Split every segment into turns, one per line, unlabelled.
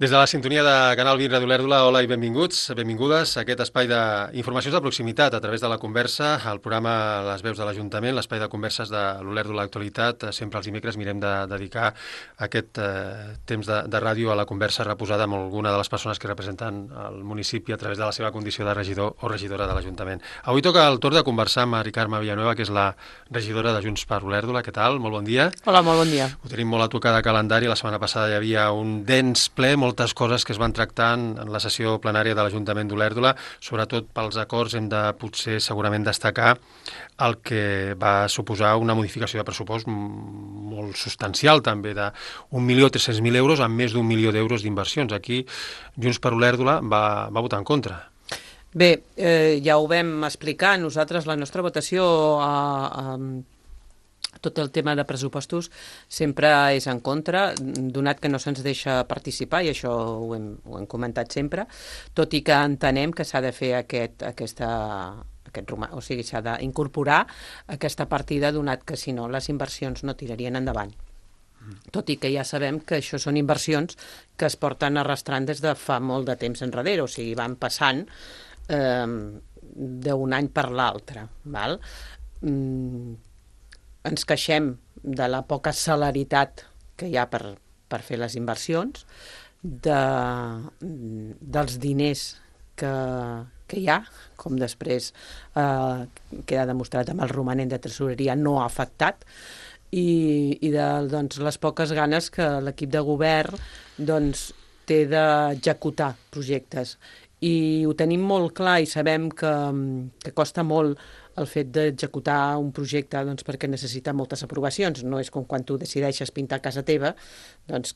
Des de la sintonia de Canal Vir Ràdio Olèrdola, hola i benvinguts, benvingudes a aquest espai d'informacions de proximitat a través de la conversa, el programa Les Veus de l'Ajuntament, l'espai de converses de l'Olèrdola Actualitat. Sempre els dimecres mirem de dedicar aquest temps de ràdio a la conversa reposada amb alguna de les persones que representen el municipi a través de la seva condició de regidor o regidora de l'Ajuntament. Avui toca el torn de conversar amb Mari Carme Villanueva, que és la regidora de Junts per Olèrdola. Què tal? Molt bon dia.
Hola, molt bon dia.
Ho tenim molt a tocar de calendari. La setmana passada hi havia un dens ple, moltes coses que es van tractant en la sessió plenària de l'Ajuntament d'Olèrdola. Sobretot pels acords hem de potser segurament destacar el que va suposar una modificació de pressupost molt substancial també, de 1.300.000 euros amb més d'1 milió d'euros d'inversions. Aquí Junts per Olèrdola va votar en contra.
Bé, ja ho vam explicar. Nosaltres la nostra votació tot el tema de pressupostos sempre és en contra, donat que no se'ns deixa participar, i això ho hem comentat sempre, tot i que entenem que s'ha de fer o sigui, s'ha d'incorporar aquesta partida, donat que si no les inversions no tirarien endavant. Tot i que ja sabem que això són inversions que es porten arrastrant des de fa molt de temps enrere, o sigui, van passant d'un any per l'altre, val? Ens queixem de la poca celeritat que hi ha per fer les inversions, dels diners que hi ha, com després queda demostrat amb el romanent de tresoreria no ha afectat, i de les poques ganes que l'equip de govern té d'executar projectes. I ho tenim molt clar i sabem que costa molt el fet d'executar un projecte perquè necessita moltes aprovacions. No és com quan tu decideixes pintar casa teva,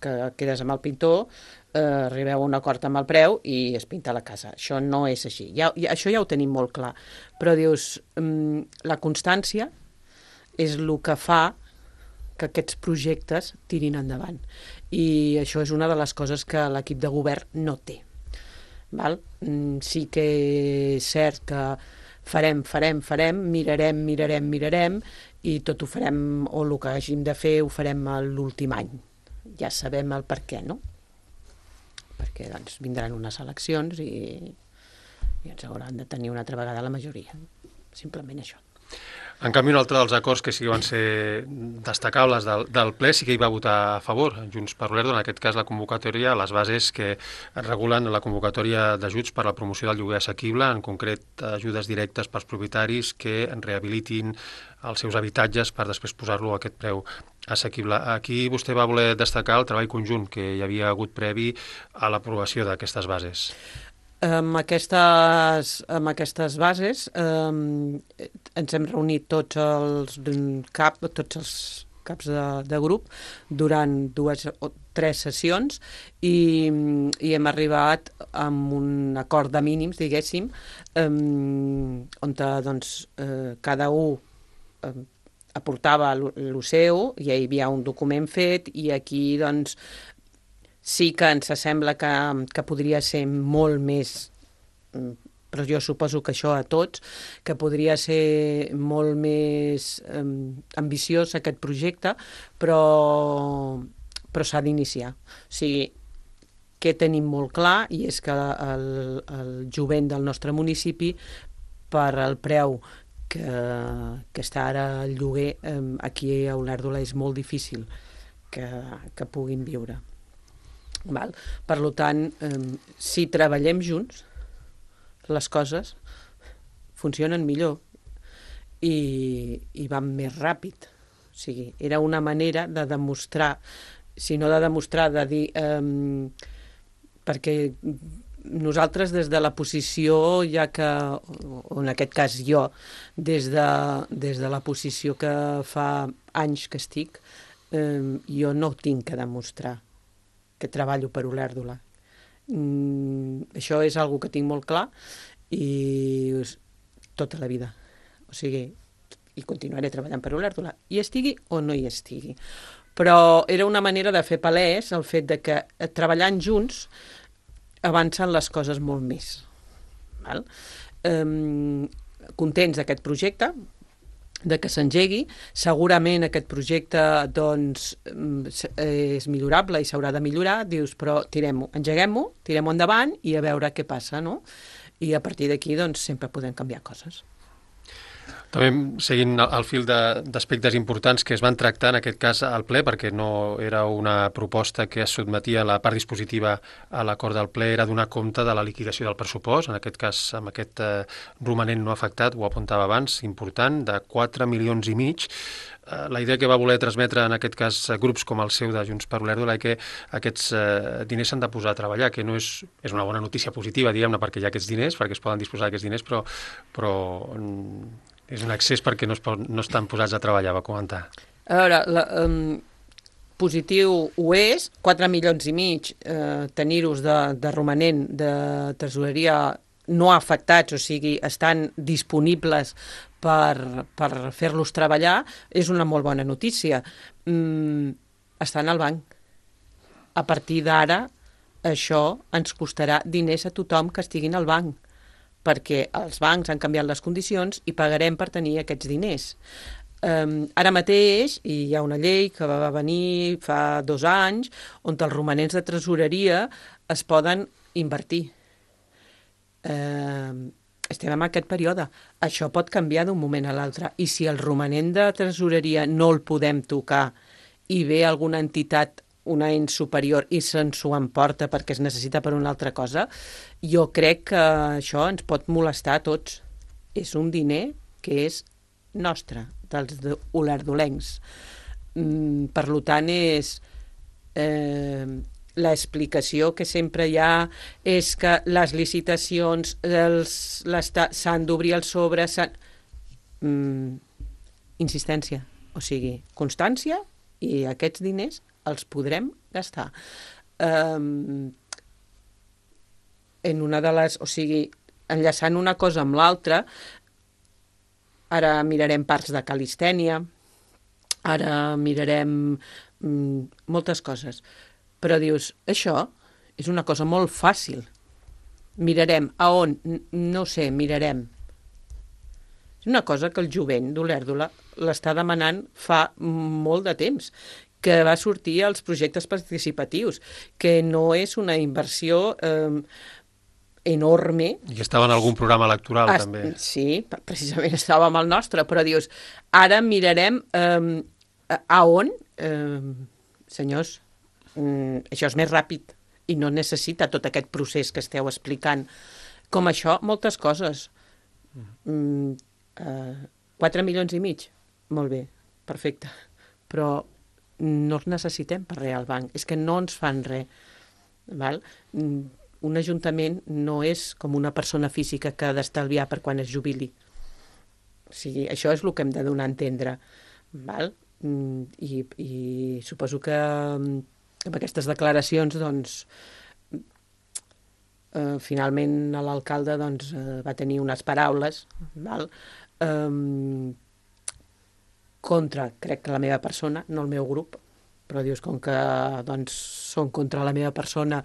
que quedes amb el pintor, arribeu a un acord amb el preu i es pinta la casa. Això no és així. Això ja ho tenim molt clar. Però dius, la constància és el que fa que aquests projectes tirin endavant. I això és una de les coses que l'equip de govern no té. Val? Sí que és cert que farem, mirarem, i tot ho farem, o el que hàgim de fer ho farem l'últim any. Ja sabem el per què, no? Perquè vindran unes eleccions i ens hauran de tenir una altra vegada la majoria. Simplement això.
En canvi, un altre dels acords que sí que van ser destacables del ple sí que hi va votar a favor Junts per Olèrdola, en aquest cas la convocatòria, les bases que regulen la convocatòria d'ajuts per a la promoció del lloguer assequible, en concret ajudes directes pels propietaris que rehabilitin els seus habitatges per després posar-lo a aquest preu assequible. Aquí vostè va voler destacar el treball conjunt que hi havia hagut previ a l'aprovació d'aquestes bases.
Amb aquestes bases ens hem reunit tots els caps de grup durant 2 o 3 sessions i hem arribat a un acord de mínims, diguéssim, on cada un aportava el seu, i hi havia un document fet, i aquí sí que ens sembla que podria ser molt més, però jo suposo que això a tots, que podria ser molt més ambiciós aquest projecte, però s'ha d'iniciar. O sigui, què tenim molt clar, i és que el jovent del nostre municipi, per el preu que està ara el lloguer, aquí a Olèrdola és molt difícil que puguin viure. Val? Per tant, si treballem junts, les coses funcionen millor i van més ràpid. O sigui, era una manera de demostrar, si no de demostrar, de dir, perquè nosaltres des de la posició, ja que, o en aquest cas jo, des de la posició que fa anys que estic, jo no tinc que demostrar que treballo per Olèrdola. Això és una que tinc molt clar i tota la vida. O sigui, i continuaré treballant per Olèrdola, hi estigui o no hi estigui. Però era una manera de fer palès el fet de que treballant junts avancen les coses molt més. Val? Contents d'aquest projecte, de que s'engegui. Segurament aquest projecte doncs, és millorable i s'haurà de millorar, dius, però engeguem-ho, tirem-ho endavant i a veure què passa, no? I a partir d'aquí doncs, sempre podem canviar coses.
També seguint el fil d'aspectes importants que es van tractar en aquest cas al ple, perquè no era una proposta que es sotmetia a la part dispositiva a l'acord del ple, era donar compte de la liquidació del pressupost, en aquest cas amb aquest romanent no afectat, ho apuntava abans, important, de 4,5 milions. La idea que va voler transmetre en aquest cas grups com el seu de Junts per Olèrdola és que aquests diners s'han de posar a treballar, que no és una bona notícia positiva, diguem-ne, perquè hi ha aquests diners, perquè es poden disposar d'aquests diners, però és un excés perquè no estan posats a treballar, va comentar.
A veure, positiu ho és, 4,5 milions, tenir-los de romanent de tresoreria no afectats, o sigui, estan disponibles per fer-los treballar, és una molt bona notícia. Estan al banc. A partir d'ara, això ens costarà diners a tothom que estiguin al banc, perquè els bancs han canviat les condicions i pagarem per tenir aquests diners. Ara mateix hi ha una llei que va venir fa 2 anys on els romanents de tresoreria es poden invertir. Estem en aquest període. Això pot canviar d'un moment a l'altre. I si el romanent de tresoreria no el podem tocar i ve alguna entitat, una ens superior, i se'ns ho emporta perquè es necessita per una altra cosa, jo crec que això ens pot molestar a tots. És un diner que és nostre, dels olerdolencs. Per tant, és l'explicació que sempre hi ha és que les licitacions s'han d'obrir el sobre, insistència, o sigui, constància, i aquests diners els podrem gastar. En una de les... O sigui, enllaçant una cosa amb l'altra, ara mirarem parcs de calistènia, ara mirarem moltes coses. Però dius, això és una cosa molt fàcil. Mirarem a on? No sé, mirarem. És una cosa que el jovent d'Olèrdola l'està demanant fa molt de temps, que va sortir als projectes participatius, que no és una inversió enorme.
I estava en algun programa electoral, també.
Sí, precisament estava amb el nostre, però dius, ara mirarem a on, senyors, això és més ràpid i no necessita tot aquest procés que esteu explicant. Com això, moltes coses. 4,5 milions, molt bé, perfecte, però no els necessitem per res al banc, és que no ens fan res. Val? Un ajuntament no és com una persona física que ha d'estalviar per quan es jubili. O sigui, això és el que hem de donar a entendre. Val? I suposo que amb aquestes declaracions doncs, finalment l'alcalde doncs, va tenir unes paraules, val? Contra, crec que la meva persona, no el meu grup, però dius, com que doncs, són contra la meva persona,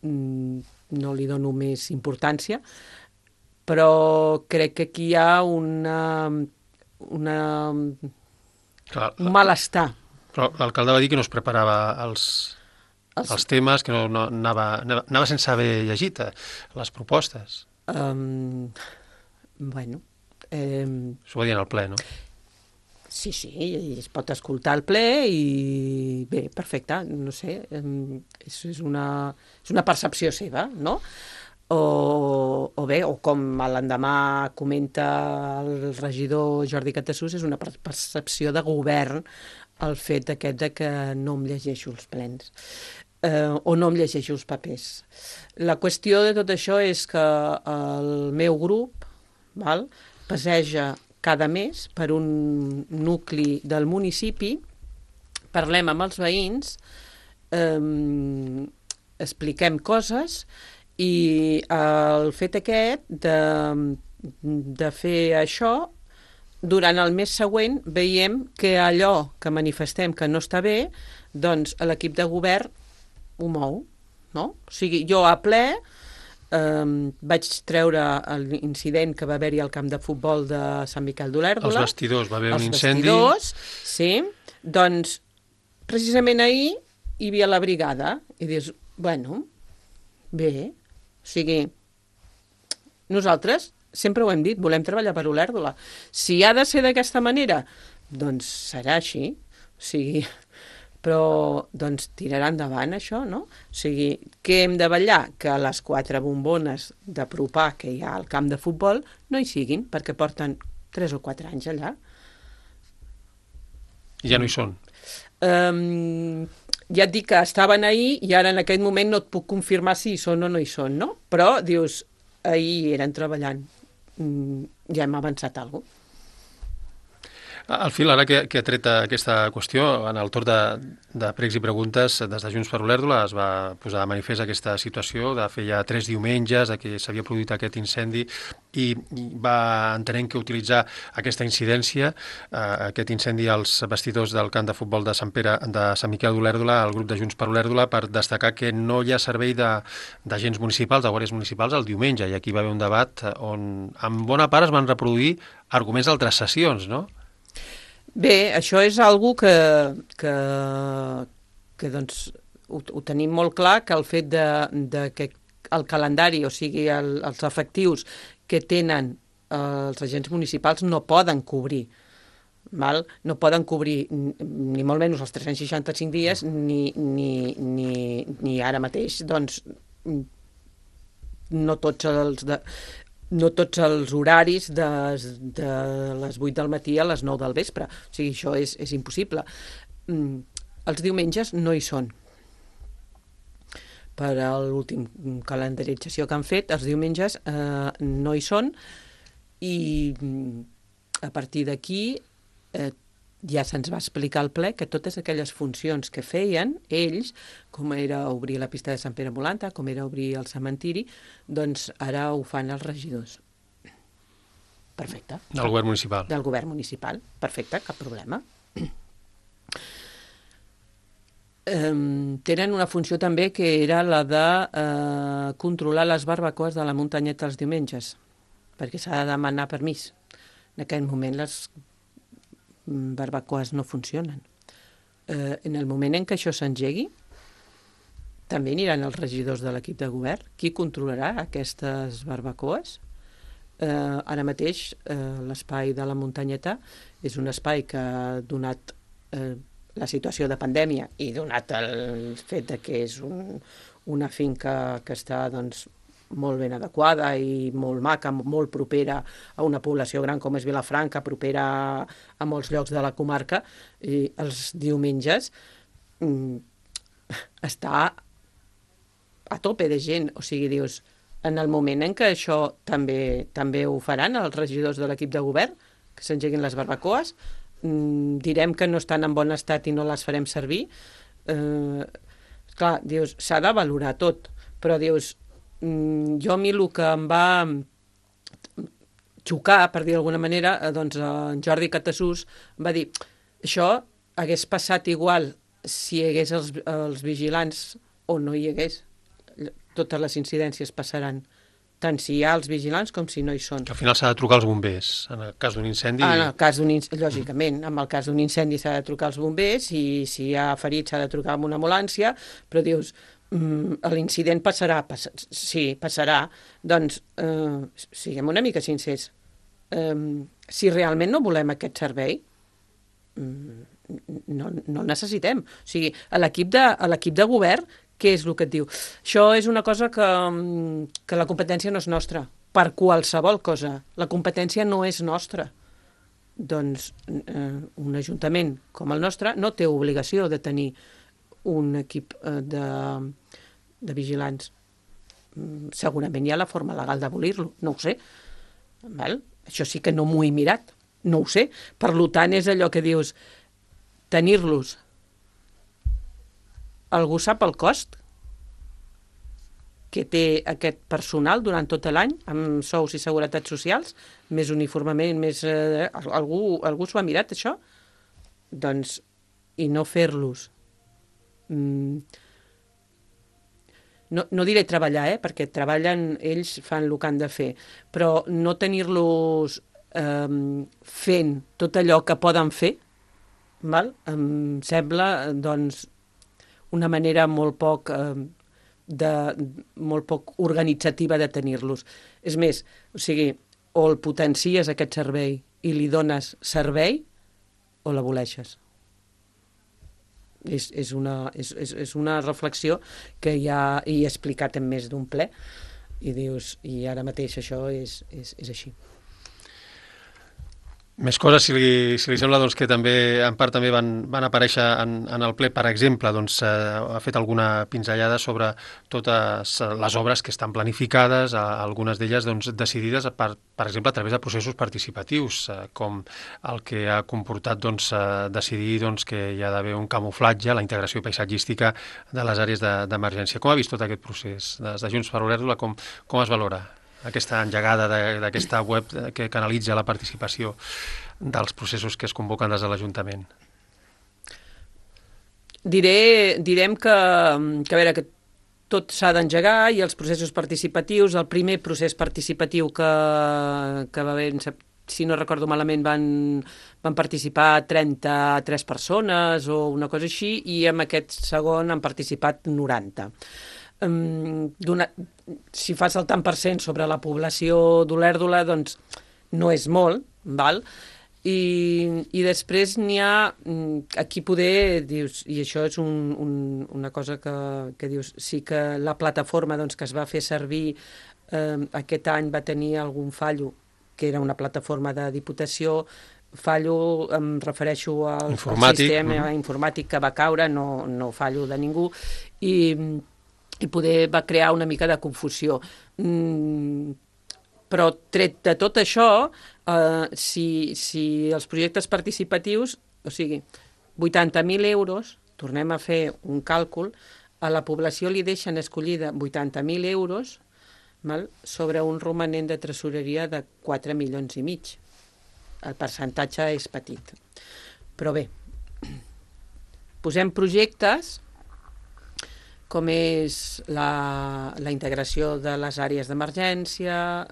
no li dono més importància, però crec que aquí hi ha un malestar.
Però l'alcalde va dir que no es preparava els temes, que no anava sense haver llegit les propostes.
Bueno...
S'ho va dir en el ple, no?
Sí, es pot escoltar al ple i bé, perfecte, no sé, és una percepció seva, no? O bé, o com l'endemà comenta el regidor Jordi Catasús, és una percepció de govern el fet aquest de que no em llegeixo els plens o no em llegeixo els papers. La qüestió de tot això és que el meu grup passeja cada mes per un nucli del municipi, parlem amb els veïns, expliquem coses i el fet aquest de fer això, durant el mes següent veiem que allò que manifestem que no està bé, doncs l'equip de govern ho mou, no? O sigui, jo a ple vaig treure l'incident que va haver-hi al camp de futbol de Sant Miquel d'Olèrdola.
Els vestidors, va haver un incendi.
Els vestidors, sí. Doncs, precisament ahir hi havia la brigada. I dius, bueno, bé, o sigui, nosaltres sempre ho hem dit, volem treballar per Olèrdola. Si ha de ser d'aquesta manera, doncs serà així. O sigui, però doncs tirarà endavant això, no? O sigui, què hem de vetllar? Que les 4 bombones d'apropar que hi ha al camp de futbol no hi siguin, perquè porten 3 o 4 anys allà.
I ja no hi són.
Ja et dic que estaven ahir i ara en aquest moment no et puc confirmar si hi són o no hi són, no? Però, dius, ahir eren treballant. Ja hem avançat alguna cosa.
Al fil, ara que ha tret aquesta qüestió, en el torn de pregs i preguntes, des de Junts per Olèrdola es va posar de manifest aquesta situació de fer ja 3 diumenges que s'havia produït aquest incendi i va entenent que utilitzar aquesta incidència, aquest incendi als vestidors del camp de futbol de Sant Miquel d'Olèrdola, el grup de Junts per Olèrdola, per destacar que no hi ha servei d'agents municipals, de guàrdies municipals, el diumenge, i aquí va haver un debat on en bona part es van reproduir arguments d'altres sessions, no?
Bé, això és algo que doncs, ho tenim molt clar, que el fet de que el calendari, o sigui, els efectius que tenen els agents municipals no poden cobrir. Val? No poden cobrir ni molt menys els 365 dies ni ara mateix, doncs, no tots els horaris de les 8 del matí a les 9 del vespre. O sigui, això és impossible. Els diumenges no hi són. Per a l'últim calendarització que han fet, els diumenges no hi són i a partir d'aquí ja se'ns va explicar al ple que totes aquelles funcions que feien ells, com era obrir la pista de Sant Pere Molanta, com era obrir el cementiri, doncs ara ho fan els regidors. Perfecte.
Del govern municipal.
Del govern municipal. Perfecte, cap problema. Tenen una funció també que era la de controlar les barbacoes de la muntanyeta els diumenges, perquè s'ha de demanar permís. En aquest moment les barbacoes no funcionen. En el moment en què això s'engegui, també aniran els regidors de l'equip de govern. Qui controlarà aquestes barbacoes? Ara mateix l'espai de la muntanyeta és un espai que, donat la situació de pandèmia i donat el fet de que és una finca que està doncs, molt ben adequada i molt maca, molt propera a una població gran com és Vilafranca, propera a molts llocs de la comarca, i els diumenges està a tope de gent. O sigui, dius, en el moment en què això també ho faran els regidors de l'equip de govern, que s'engeguin les barbacoes, direm que no estan en bon estat i no les farem servir. Clar, dius, s'ha de valorar tot, però dius, jo a mi el que em va xocar, per dir d'alguna manera, doncs en Jordi Catasús va dir, això hagués passat igual si hi hagués els vigilants o no hi hagués. Totes les incidències passaran, tant si hi ha els vigilants com si no hi són.
Que al final s'ha de trucar als bombers, en el cas d'un incendi.
En el cas lògicament, en el cas d'un incendi s'ha de trucar als bombers i si hi ha ferits s'ha de trucar amb una ambulància, però dius, l'incident passarà, sí, passarà, doncs siguem una mica sincers. Si realment no volem aquest servei, no el necessitem. O sigui, a l'equip de govern, què és el que et diu? Això és una cosa que la competència no és nostra, per qualsevol cosa. La competència no és nostra. Doncs un ajuntament com el nostre no té obligació de tenir un equip de vigilants. Segurament hi ha la forma legal d'abolir-lo, no ho sé. Val? Això sí que no m'ho he mirat, no ho sé. Per tant, és allò que dius, tenir-los. Algú sap el cost que té aquest personal durant tot l'any, amb sous i seguretats socials, més uniformament, més... Algú s'ho ha mirat, això? Doncs, i no fer-los no diré treballar, perquè treballen, ells fan el que han de fer, però no tenir-los fent tot allò que poden fer, val? Em sembla, doncs, una manera molt poc organitzativa de tenir-los. És més, o sigui, o el potencies aquest servei i li dones servei o l'aboleixes. És una reflexió que ja he explicat en més d'un ple i dius, i ara mateix això és així.
Més coses, si li sembla, doncs, que també en part també van aparèixer en el ple. Per exemple, doncs, ha fet alguna pinzellada sobre totes les obres que estan planificades, algunes d'elles doncs, decidides, per exemple, a través de processos participatius, com el que ha comportat doncs, decidir doncs, que hi ha d'haver un camuflatge, la integració paisatgística de les àrees d'emergència. Com ha vist tot aquest procés? Des de Junts per Olèrdola, com es valora aquesta engegada d'aquesta web que canalitza la participació dels processos que es convoquen des de l'Ajuntament?
Direm que a veure, que tot s'ha d'engegar i els processos participatius, el primer procés participatiu que va haver, si no recordo malament, van participar 33 persones o una cosa així, i en aquest segon han participat 90. Si fas el tant per cent sobre la població d'Olèrdola, doncs no és molt, val? I després n'hi ha, aquí poder, dius, i això és una cosa que dius, sí que la plataforma doncs, que es va fer servir aquest any va tenir algun fallo, que era una plataforma de Diputació. Fallo, em refereixo al sistema informàtic que va caure, no fallo de ningú, i poder va crear una mica de confusió. Però tret de tot això, si els projectes participatius, o sigui, 80.000 euros, tornem a fer un càlcul, a la població li deixen escollida 80.000 euros, val, sobre un romanent de tresoreria de 4,5 milions. El percentatge és petit. Però bé, posem projectes com és la integració de les àrees d'emergència,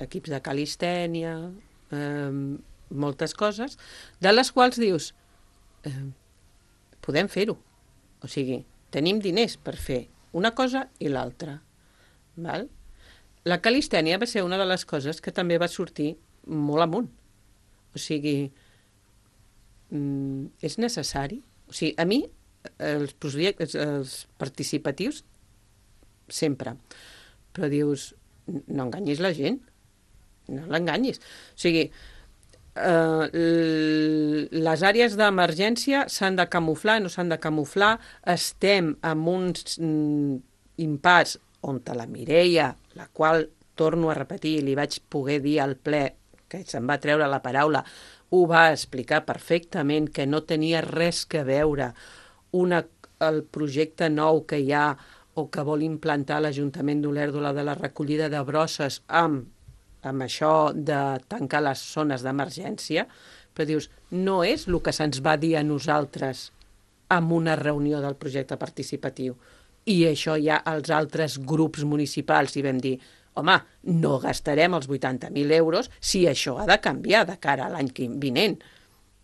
equips de calistènia, moltes coses, de les quals dius, podem fer-ho. O sigui, tenim diners per fer una cosa i l'altra. Val? La calistènia va ser una de les coses que també va sortir molt amunt. O sigui, és necessari? O sigui, a mi els projectes, els participatius, sempre. Però dius, no enganyis la gent, no l'enganyis. O sigui, les àrees d'emergència s'han de camuflar, no s'han de camuflar, estem en uns impàs on la Mireia, la qual, torno a repetir, li vaig poder dir al ple, que se'n va treure la paraula, ho va explicar perfectament, que no tenia res que veure el projecte nou que hi ha o que vol implantar l'Ajuntament d'Olèrdola de la recollida de brosses amb això de tancar les zones d'emergència, però dius, no és el que se'ns va dir a nosaltres en una reunió del projecte participatiu. I això ja els altres grups municipals hi vam dir, home, no gastarem els 80.000 euros si això ha de canviar de cara a l'any vinent.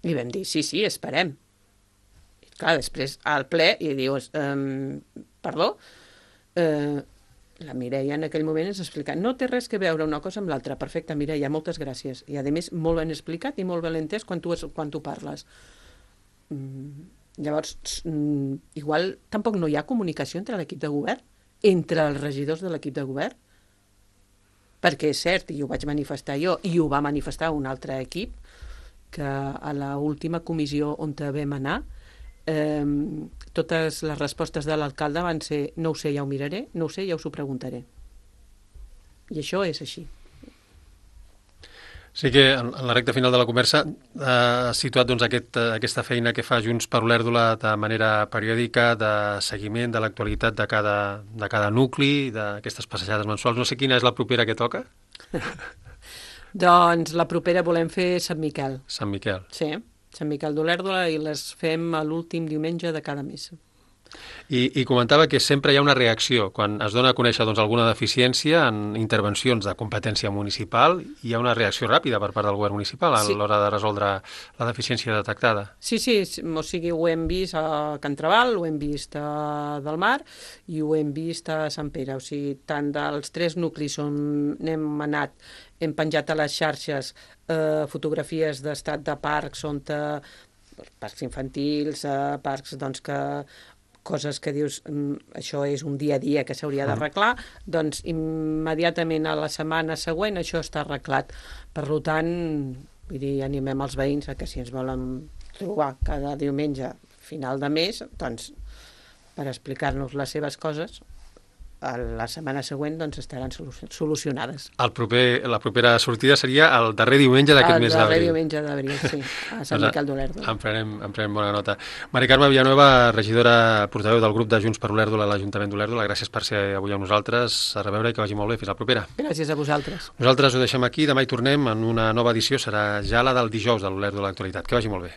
I vam dir, sí, esperem. I clar, després al ple i dius, perdó, la Mireia en aquell moment ens explica, no té res que veure una cosa amb l'altra. Perfecte, Mireia, moltes gràcies. I a més, molt ben explicat i molt ben entès quan tu parles. Llavors, igual tampoc no hi ha comunicació entre l'equip de govern, entre els regidors de l'equip de govern, perquè és cert, i ho vaig manifestar jo, i ho va manifestar un altre equip, que a l'última comissió on vam anar, totes les respostes de l'alcalde van ser no ho sé, ja ho miraré, no ho sé, ja us ho preguntaré. I això és així.
Sí que en la recta final de la conversa ha situat doncs, aquesta feina que fa Junts per Olèrdola de manera periòdica, de seguiment de l'actualitat de cada nucli, d'aquestes passejades mensuals. No sé quina és la propera que toca.
Doncs la propera volem fer Sant Miquel.
Sant Miquel.
Sí, Sant Miquel d'Olèrdola, i les fem a l'últim diumenge de cada mes.
I comentava que sempre hi ha una reacció. Quan es dona a conèixer alguna deficiència en intervencions de competència municipal, hi ha una reacció ràpida per part del govern municipal a l'hora de resoldre la deficiència detectada.
Sí, o sigui, ho hem vist a Can Trabal, ho hem vist a Del Mar i ho hem vist a Sant Pere. O sigui, tant dels 3 nuclis on hem penjat a les xarxes fotografies d'estat de parcs, parcs infantils, parcs doncs, coses que dius, això és un dia a dia que s'hauria d'arreglar, doncs immediatament a la setmana següent això està arreglat. Per tant, vull dir, animem els veïns a que si ens volen trobar cada diumenge final de mes, doncs per explicar-nos les seves coses, a la setmana següent doncs estaran solucionades.
La propera sortida seria el darrer diumenge d'aquest mes d'abril.
El darrer diumenge d'abril, sí, a Sant Miquel d'Olèrdola.
En prenem bona nota. Mari Carme Villanueva, regidora portaveu del grup de Junts per Olèrdola a l'Ajuntament d'Olèrdola, gràcies per ser avui amb nosaltres. A reveure i que vagi molt bé. Fins la propera.
Gràcies a vosaltres.
Nosaltres ho deixem aquí. Demà hi tornem en una nova edició. Serà ja la del dijous de l'Olèrdola Actualitat. Que vagi molt bé.